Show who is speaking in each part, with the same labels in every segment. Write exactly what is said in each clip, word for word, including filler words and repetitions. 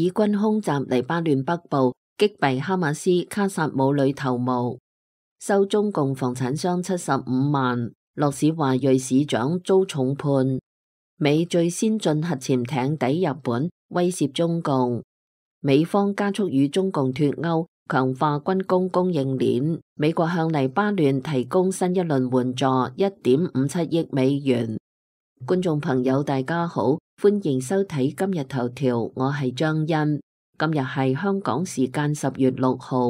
Speaker 1: 以軍空襲黎巴嫩北部，擊斃哈馬斯卡薩姆旅頭目，收中共房產商七十五萬。洛史華裔市長遭重判。美最先進核潛艇抵日本，威懾中共。美方加速與中共脫鈎，強化軍工供應鏈。美國向黎巴嫩提供新一輪援助，一點五七億美元。觀眾朋友大家好，歡迎收睇今日頭條，我係張欣。今日係香港時間十月六號。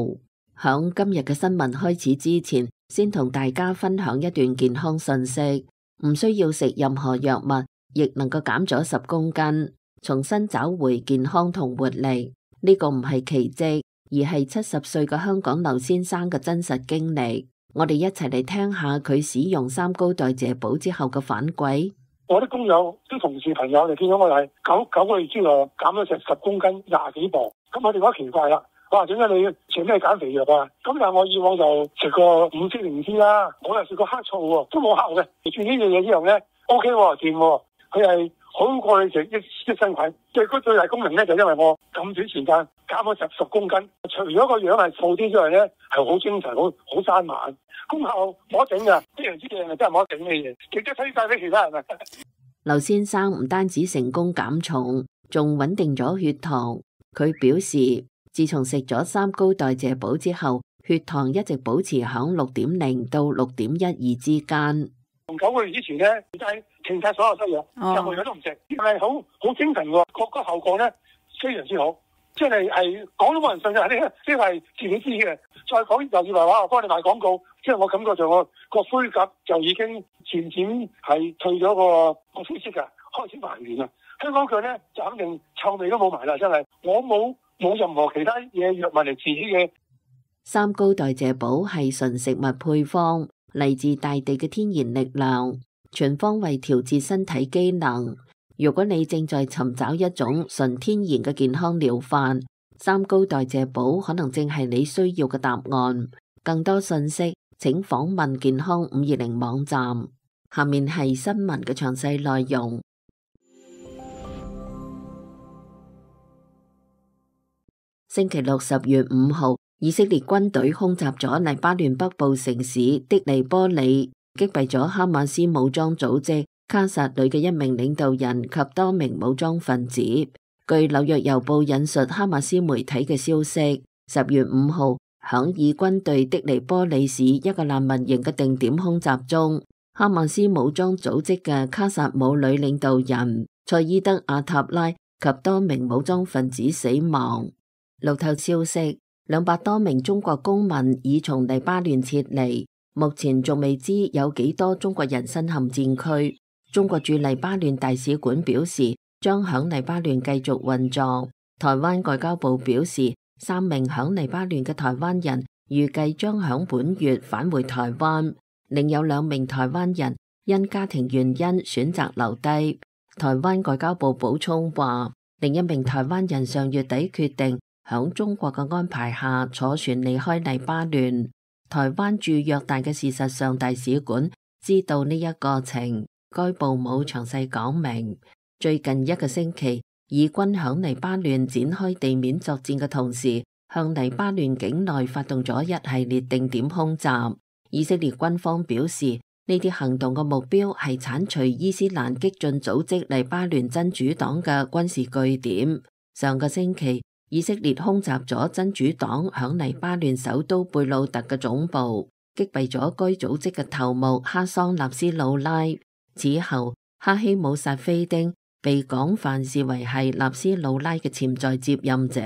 Speaker 1: 響今日嘅新聞開始之前，先同大家分享一段健康信息。唔需要食任何藥物，亦能夠減咗十公斤，重新找回健康同活力。呢個唔係奇蹟，而係七十歲嘅香港劉先生嘅真實經歷。我哋一齊嚟聽下佢使用三高代謝寶之後嘅反饋。
Speaker 2: 我啲工友、啲同事朋友就見到我係九九個月之內減咗成十公斤、廿幾磅，咁我哋覺得奇怪啦。哇！點解你食咩減肥藥啊？咁但係我以往就食過五色靈芝啦，我又食過黑醋喎，都冇效嘅。食住呢樣嘢之後咧 ，O K 喎，掂喎，佢係好過你食益益生菌。最嗰最大功能咧，就因為我咁短時間減咗十十公斤，除咗個樣係瘦啲之外咧，係好精神、好好生猛，功效冇得整㗎。呢樣之嘢係真係冇得整嘅嘢，亦都推介俾其他人啊。
Speaker 1: 劉先生唔單止成功減重，仲穩定咗血糖。佢表示，自從食咗三高代謝寶之後，血糖一直保持響六點零到六點一二之間。
Speaker 2: 從九個月之前咧，就係停晒所有西藥，任何藥都唔食，係好好精神喎。個個效果咧非常之好，即係係講都冇人信嘅，呢呢係自己知嘅。再講又以為話我幫你賣廣告，即係我感覺上我個灰甲就已經漸漸係退咗個個灰色㗎，開始還原啦。香港腳咧就肯定臭味都冇埋啦，真係我冇。冇任何其他嘢藥物嚟治嘅。
Speaker 1: 三高代謝寶係純食物配方，嚟自大地嘅天然力量，全方位調節身體機能。如果你正在尋找一種純天然嘅健康療法，三高代謝寶可能正係你需要嘅答案。更多信息請訪問健康五二零網站。下面係新聞嘅詳細內容。星期六十月五號，以色列軍隊空襲咗黎巴嫩北部城市的黎波里，擊斃咗哈馬斯武裝組織卡薩旅嘅一名領導人及多名武裝分子。據紐約郵報引述哈馬斯媒體嘅消息，十月五號響以軍對的黎波里市一個難民營嘅定點空襲中，哈馬斯武裝組織嘅卡薩姆旅領導人賽伊德阿塔拉及多名武裝分子死亡。路透消息，兩百多名中國公民已從黎巴嫩撤離，目前仲未知有幾多中國人身陷戰區。中國駐黎巴嫩大使館表示，將響黎巴嫩繼續運作。台灣外交部表示，三名響黎巴嫩嘅台灣人預計將響本月返回台灣，另有兩名台灣人因家庭原因選擇留低。台灣外交部補充話，另一名台灣人上月底決定響中國嘅安排下坐船離開黎巴嫩。台灣駐約旦嘅事實上大使館知道呢一過程，該部冇詳細講明。最近一個星期，以軍響黎巴嫩展開地面作戰嘅同時，向黎巴嫩境內發動咗一系列定點空襲。以色列軍方表示，呢啲行動嘅目標係剷除伊斯蘭激進組織黎巴嫩真主黨嘅軍事據點。上個星期，以色列空襲咗真主黨響黎巴嫩首都貝魯特嘅總部，擊斃咗該組織嘅頭目哈桑納斯魯拉。此後，哈希姆薩菲丁被廣泛視為係納斯魯拉嘅潛在接任者。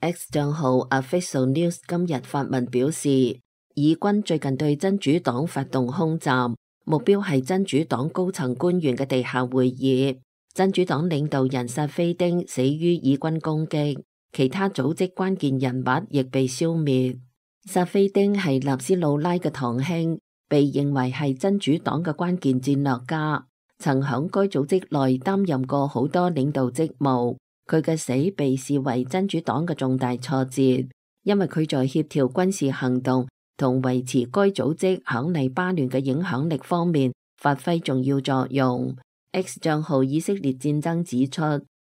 Speaker 1: X 賬號 Official News 今日發文表示，以軍最近對真主黨發動空襲，目標係真主黨高層官員嘅地下會議。真主黨領導人薩菲丁死於以軍攻擊。其他組織關鍵人物亦被消滅。薩菲丁係納斯魯拉嘅堂兄，被認為係真主黨嘅關鍵戰略家，曾響該組織內擔任過好多領導職務。佢嘅死被視為真主黨嘅重大挫折，因為佢在協調軍事行動同維持該組織響黎巴嫩嘅影響力方面發揮重要作用。X 賬號以色列戰爭指出，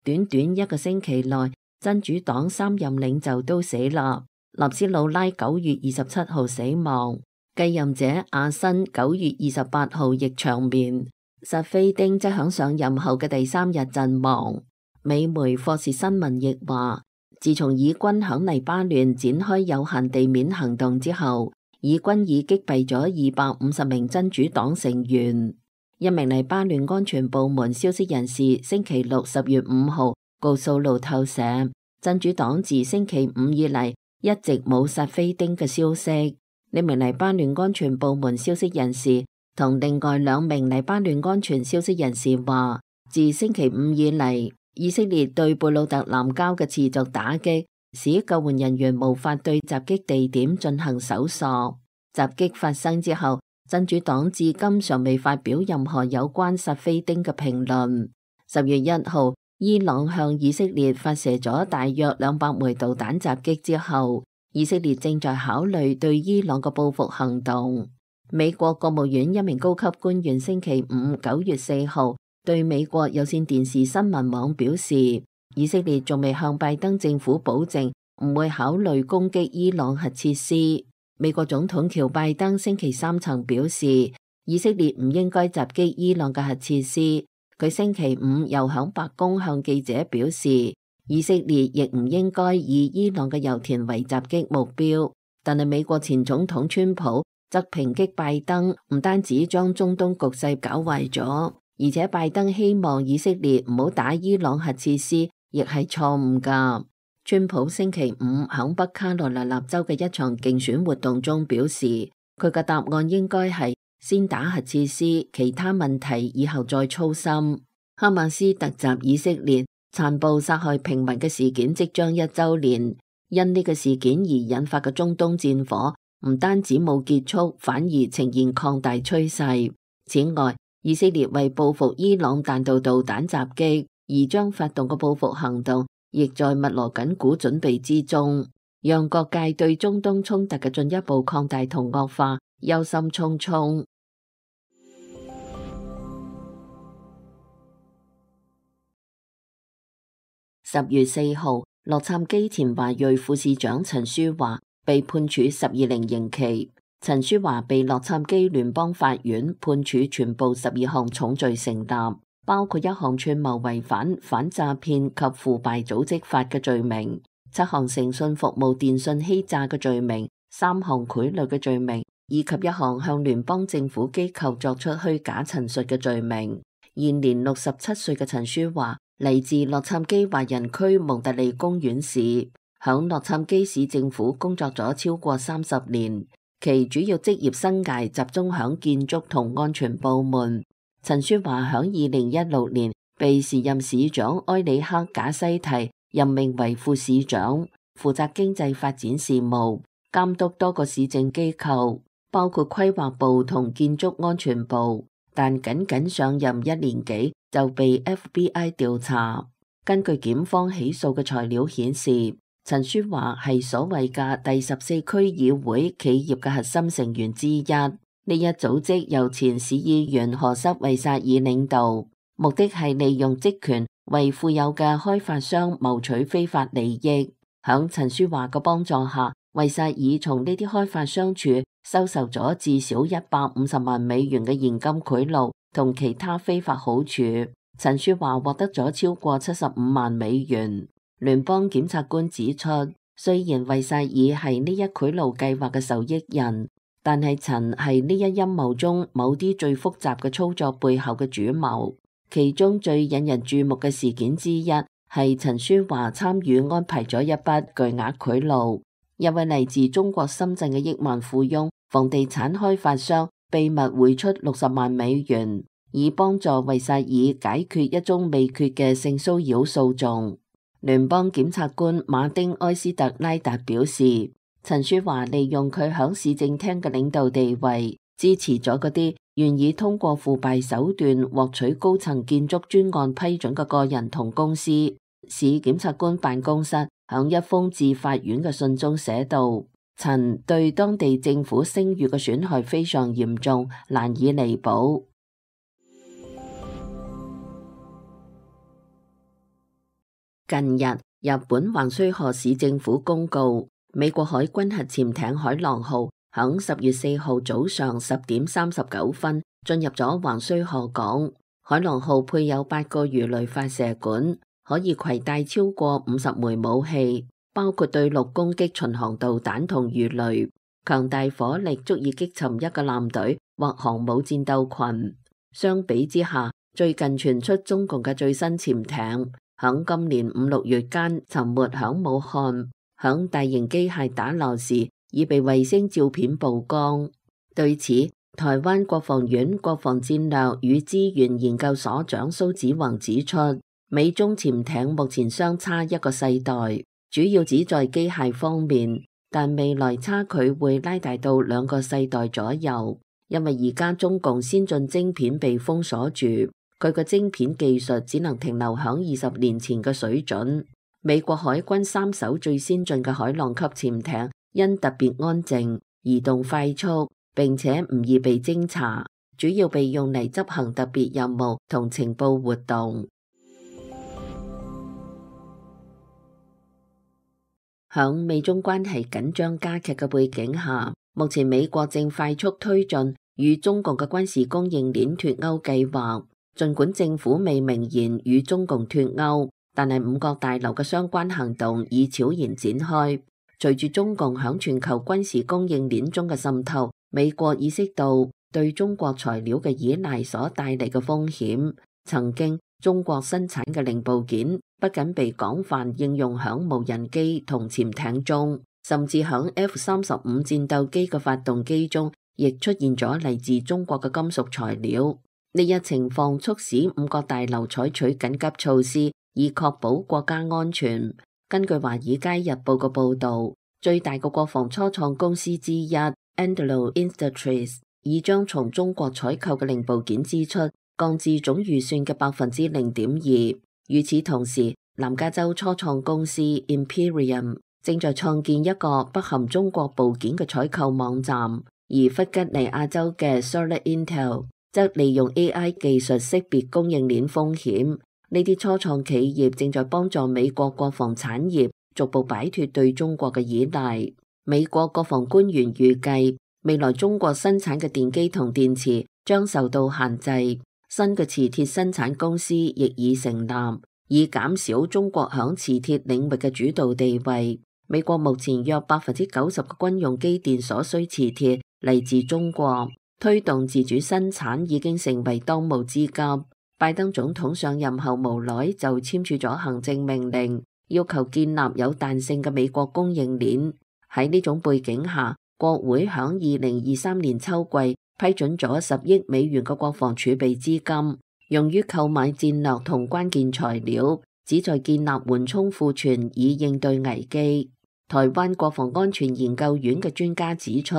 Speaker 1: 短短一個星期內，真主黨三任領袖都死啦。納斯魯拉九月二十七號死亡，繼任者阿辛九月二十八號亦長眠，薩菲丁則響上任後嘅第三日陣亡。美媒霍士新聞亦話，自從以軍響黎巴嫩展開有限地面行動之後，以軍已擊斃咗二百五十名真主黨成員。一名黎巴嫩安全部門消息人士星期六十月五號告訴路透社，真主黨自星期五以嚟一直冇薩菲丁嘅消息。呢名黎巴嫩安全部門消息人士同另外兩名黎巴嫩安全消息人士話，自星期五以嚟，以色列對貝魯特南郊嘅持續打擊，使救援人員無法對襲擊地點進行搜索。襲擊發生之後，真主黨至今尚未發表任何有關薩菲丁嘅評論。十月一號，伊朗向以色列發射咗大約兩百枚導彈襲擊之後，以色列正在考慮對伊朗嘅報復行動。美國國務院一名高級官員星期五九月四號對美國有線電視新聞網表示，以色列仲未向拜登政府保證唔會考慮攻擊伊朗核設施。美國總統喬拜登星期三曾表示，以色列唔應該襲擊伊朗嘅核設施。佢星期五又響白宮向記者表示，以色列亦唔應該以伊朗嘅油田為襲擊目標。但係美國前總統川普則抨擊拜登唔單止將中東局勢搞壞咗，而且拜登希望以色列唔好打伊朗核設施，亦係錯誤㗎。川普星期五響北卡羅來納州嘅一場競選活動中表示，佢嘅答案應該係先打核設施，其他問題以後再操心。哈馬斯突襲以色列，殘暴殺害平民嘅事件即將一週年，因呢個事件而引發嘅中東戰火唔單止冇結束，反而呈現擴大趨勢。此外，以色列為報復伊朗彈道導彈襲擊而將發動嘅報復行動，亦在密鑼緊鼓準備之中，讓各界對中東衝突嘅進一步擴大同惡化憂心忡忡。十月四號，洛杉磯前華裔副市長陳舒華被判處十二年刑期。陳舒華被洛杉磯聯邦法院判處全部十二項重罪成立，包括一項串謀違反反詐騙及腐敗組織法嘅罪名，七項誠信服務電信欺詐嘅罪名，三項賄賂嘅罪名，以及一項向聯邦政府機構作出虛假陳述嘅罪名。現年六十七歲嘅陳舒華嚟自洛杉磯華人區蒙特利公園市，響洛杉磯市政府工作咗超過三十年，其主要職業生涯集中響建築同安全部門。陳舒華響二零一六年被時任市長埃里克賈西提任命為副市長，負責經濟發展事務，監督多個市政機構，包括規劃部同建築安全部，但僅僅上任一年幾就被 F B I 調查。根據檢方起訴嘅材料顯示，陳舒華係所謂嘅第十四區議會企業嘅核心成員之一。呢一組織由前市議員何塞維薩爾領導，目的係利用職權為富有嘅開發商謀取非法利益。響陳舒華嘅幫助下，維薩爾從呢啲開發商處收受咗至少一百五十萬美元嘅現金賄賂同其他非法好處。陳舒華獲得咗超過七十五萬美元。聯邦檢察官指出，雖然維薩爾係呢一賄賂計劃嘅受益人，但係陳係呢一陰謀中某啲最複雜嘅操作背後嘅主謀。其中最引人注目嘅事件之一係陳舒華參與安排咗一筆巨額賄賂。一位嚟自中國深圳嘅億萬富翁房地產開發商秘密匯出六十萬美元，以幫助維薩爾解決一宗未決嘅性騷擾訴訟。聯邦檢察官馬丁埃斯特拉達表示，陳舒華利用佢響市政廳嘅領導地位，支持咗嗰啲願意通過腐敗手段獲取高層建築專案批准嘅個人同公司。市檢察官辦公室響一封致法院嘅信中寫道，陳對當地政府聲譽嘅損害非常嚴重，難以彌補。近日，日本橫須賀市政府公告，美國海軍核潛艇海狼號響十月四號早上十點三十九分進入咗橫須賀港。海狼號配有八個魚雷發射管，可以攜帶超過五十枚武器，包括對陸攻擊巡航導彈同魚雷，強大火力足以擊沉一個艦隊或航母戰鬥群。相比之下，最近傳出中共嘅最新潛艇響今年五六月間沉沒響武漢，響大型機械打撈時已被衛星照片曝光。對此，台灣國防院國防戰略與資源研究所長蘇子宏指出，美中潛艇目前相差一個世代，主要只在機械方面，但未來差距會拉大到兩個世代左右，因為而家中共先進晶片被封鎖住。佢個晶片技術只能停留響二十年前嘅水準。美國海軍三艘最先進嘅海狼級潛艇因特別安靜、移動快速，並且唔易被偵查，主要被用嚟執行特別任務同情報活動。響美中關係緊張加劇嘅背景下，目前美國正快速推進與中共嘅軍事供應鏈脫鈎計劃。儘管政府未明言與中共脫鈎，但係五角大樓嘅相關行動已悄然展開。隨住中共響全球軍事供應鏈中嘅滲透，美國意識到對中國材料嘅依賴所帶嚟嘅風險。曾經中國生產嘅零部件不僅被廣泛應用響無人機同潛艇中，甚至響 F 三十五戰鬥機嘅發動機中，亦出現咗嚟自中國嘅金屬材料。呢一情況促使五角大樓採取緊急措施，以確保國家安全。根據《華爾街日報》嘅報導，最大嘅國防初創公司之一 Anduril Industries 已將從中國採購嘅零部件支出降至總預算嘅百分之零點二。與此同時，南加州初創公司 Imperium 正在創建一個不含中國部件嘅採購網站，而弗吉尼亞州嘅 Solid Intel則利用 A I 技術識別供應鏈風險。呢啲初創企業正在幫助美國國防產業逐步擺脫對中國嘅依賴。美國國防官員預計，未來中國生產嘅電機同電池將受到限制。新嘅磁鐵生產公司亦已成立，以減少中國響磁鐵領域嘅主導地位。美國目前約百分之九十嘅軍用機電所需磁鐵嚟自中國。推動自主生產已經成為當務之急。拜登總統上任後無耐就簽署咗行政命令，要求建立有彈性嘅美國供應鏈。喺呢種背景下，國會響二零二三年秋季批准咗十億美元嘅國防儲備資金，用於購買戰略同關鍵材料，旨在建立緩衝庫存以應對危機。台灣國防安全研究院嘅專家指出，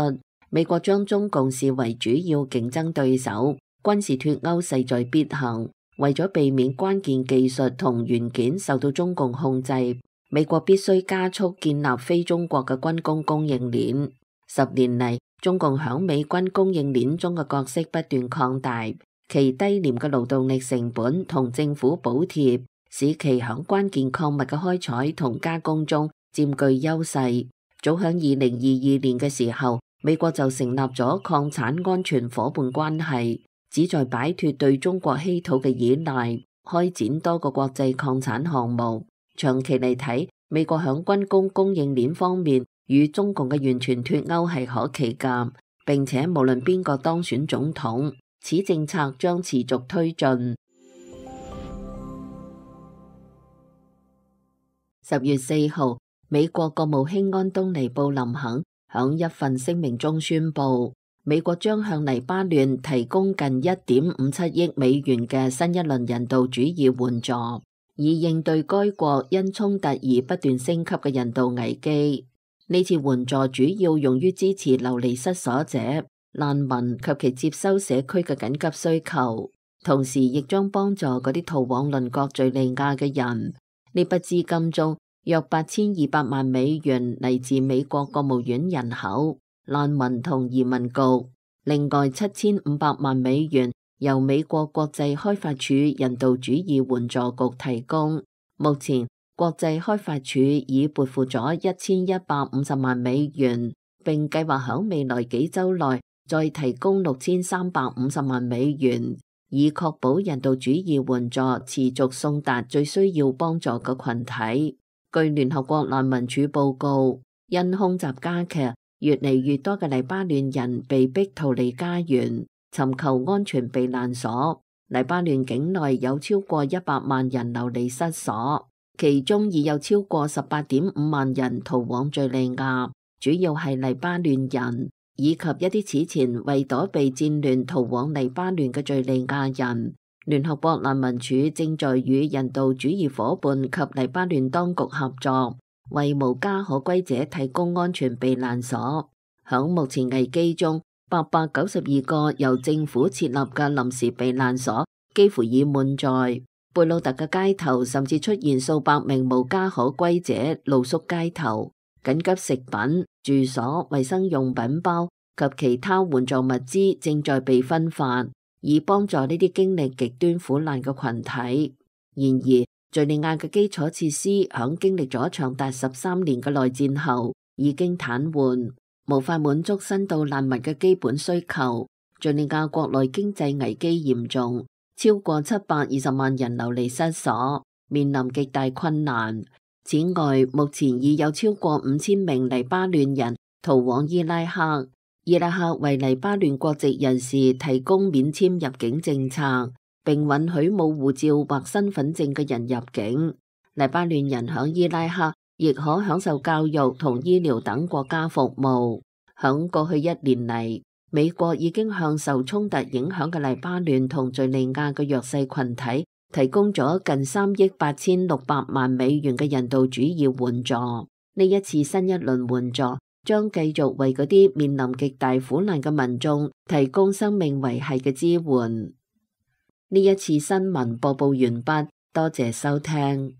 Speaker 1: 美國將中共視為主要競爭對手，軍事脫鈎勢在必行。為咗避免關鍵技術同元件受到中共控制，美國必須加速建立非中國嘅軍工供應鏈。十年嚟，中共響美軍供應鏈中嘅角色不斷擴大，其低廉嘅勞動力成本同政府補貼，使其響關鍵礦物嘅開採同加工中佔據優勢。早響二零二二年嘅時候，美國就成立咗礦產安全夥伴關係，旨在擺脫對中國稀土嘅依賴，開展多個國際礦產項目。長期嚟睇，美國響軍工供應鏈方面與中共嘅完全脫鈎係可期㗎，並且無論邊個當選總統，此政策將持續推進。十月四號，美國國務卿安東尼布林肯響一份聲明中宣布，美國將向黎巴嫩提供近一點五七億美元嘅新一輪人道主義援助，以應對該國因衝突而不斷升級嘅人道危機。呢次援助主要用於支持流離失所者、難民及其接收社區嘅緊急需求，同時亦將幫助嗰啲逃往鄰國敘利亞嘅人。呢筆資金中，約八千二百萬美元嚟自美國國務院人口、難民同移民局，另外七千五百萬美元由美國國際開發署人道主義援助局提供。目前，國際開發署已撥付咗一千一百五十萬美元，並計劃響未來幾週內再提供六千三百五十萬美元，以確保人道主義援助持續送達最需要幫助嘅群體。據聯合國難民署報告，因空襲加劇，越嚟越多嘅黎巴嫩人被逼逃離家園，尋求安全避難所。黎巴嫩境內有超過一百萬人流離失所，其中已有超過十八點五萬人逃往敘利亞，主要係黎巴嫩人，以及一啲此前為躲避戰亂逃往黎巴嫩嘅敘利亞人。聯合國難民署正在與人道主義夥伴及黎巴嫩當局合作，為無家可歸者提供安全避難所。響目前危機中，八百九十二個由政府設立嘅臨時避難所幾乎已滿載。貝魯特嘅街頭甚至出現數百名無家可歸者露宿街頭，緊急食品、住所、衛生用品包及其他援助物資正在被分發，以幫助呢啲經歷極端苦難嘅群體。然而，敘利亞嘅基礎設施響經歷咗長達十三年嘅內戰後已經癱瘓，無法滿足新到難民嘅基本需求。敘利亞國內經濟危機嚴重，超過七百二十萬人流離失所，面臨極大困難。此外，目前已有超過五千名黎巴嫩人逃往伊拉克。伊拉克為黎巴嫩國籍人士提供免簽入境政策，並允許冇護照或身份證嘅人入境。黎巴嫩人響伊拉克亦可享受教育同醫療等國家服務。響過去一年嚟，美國已經向受衝突影響嘅黎巴嫩同敘利亞嘅弱勢群體提供咗近三億八千六百萬美元嘅人道主義援助。呢一次新一輪援助將繼續為嗰啲面臨極大苦難嘅民眾提供生命維繫嘅支援。呢一次新聞播報完畢，多謝收聽。